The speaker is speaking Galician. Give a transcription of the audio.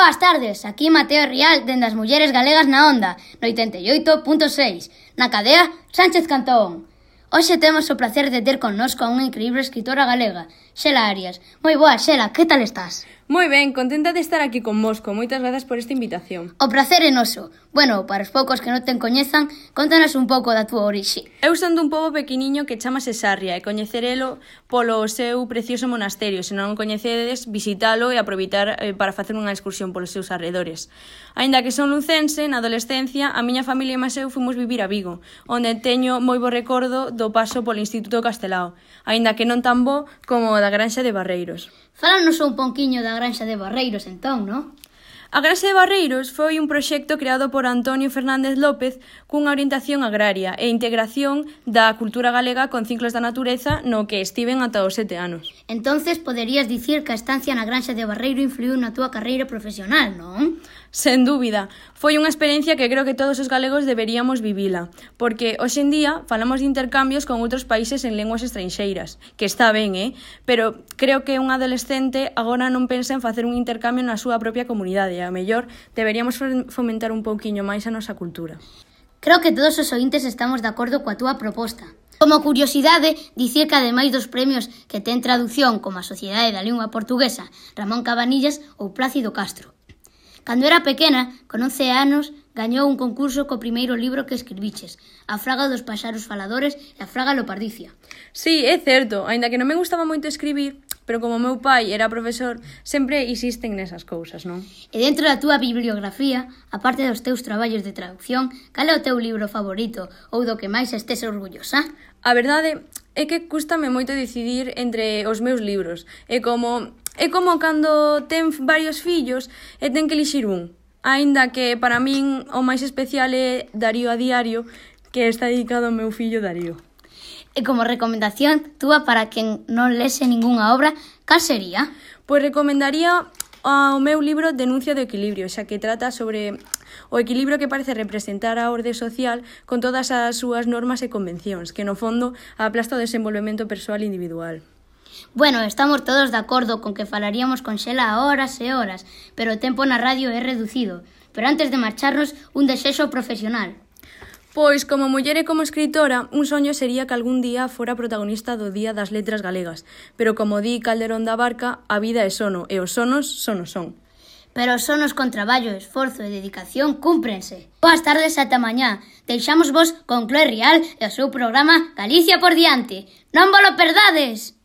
boas tardes, aquí Mateo Rial, dende as mulleres galegas na Onda, no 88.6, na cadea Sánchez Cantón. Hoxe temos o placer de ter connosco a unha increíble escritora galega, Xela Arias. Moi boa, Xela, que tal estás? Moi ben, contenta de estar aquí convosco. Moitas grazas por esta invitación. O prazer é noso. Bueno, para os poucos que non te coñezan, contanos un pouco da túa orixe. Eu son dun pobo pequeniño que chamase Sarria e coñecerelo polo seu precioso monasterio. Se non o coñecedes, visitalo e aproveitar para facer unha excursión polos seus arredores. Aínda que son lucense, na adolescencia, a miña familia e máis eu fomos vivir a Vigo, onde teño moi bo recordo do paso polo Instituto Castelao, aínda que non tan bo como o da Granxa de Barreiros. Fálanos un pouquiño da Granxa de Barreiros, entón, non? A Granxa de Barreiros foi un proxecto creado por Antonio Fernández López cunha orientación agraria e integración da cultura galega con ciclos da natureza no que estiven ata os 7 anos. Entonces, poderías dicir que a estancia na Granxa de Barreiro influiu na túa carreira profesional, non? Sen dúbida, foi unha experiencia que creo que todos os galegos deberíamos vivila, porque hoxe en día falamos de intercambios con outros países en linguas estranxeiras, que está ben, pero creo que un adolescente agora non pensa en facer un intercambio na súa propia comunidade, e a mellor deberíamos fomentar un pouquiño máis a nosa cultura. Creo que todos os ointes estamos de acordo coa túa proposta. Como curiosidade, dicir que ademais dos premios que ten traducción como a Sociedade da Lingua Portuguesa, Ramón Cabanillas ou Plácido Castro. Cando era pequena, con 11 anos, gañou un concurso co primeiro libro que escribiches, A fraga dos paxaros faladores e A fraga lopardicia. Sí, é certo, aínda que non me gustaba moito escribir, pero como meu pai era profesor, sempre insisten nesas cousas, non? E dentro da túa bibliografía, aparte dos teus traballos de traducción, cal é o teu libro favorito ou do que máis estés orgullosa? A verdade é que cústame moito decidir entre os meus libros. É como cando ten varios fillos e ten que elixir un. Aínda que para min o máis especial é Darío a diario, que está dedicado ao meu fillo Darío. E como recomendación túa para quen non lese ningunha obra, cal sería? Pois recomendaría o meu libro Denuncia do equilibrio, xa que trata sobre o equilibrio que parece representar a orde social con todas as súas normas e convencións, que no fondo aplasta o desenvolvemento persoal individual. Bueno, estamos todos de acordo con que falaríamos con Xela horas e horas, pero o tempo na radio é reducido. Pero antes de marcharnos, un desexo profesional. Pois, como muller e como escritora, un soño sería que algún día fora protagonista do Día das Letras Galegas. Pero como di Calderón da Barca, a vida é sono, e os sonos son. Pero os sonos con traballo, esforzo e dedicación cúmprense. Boas tardes ata mañá. Deixamos vos con Chloe Rial e o seu programa Galicia por diante. Non vos lo perdades!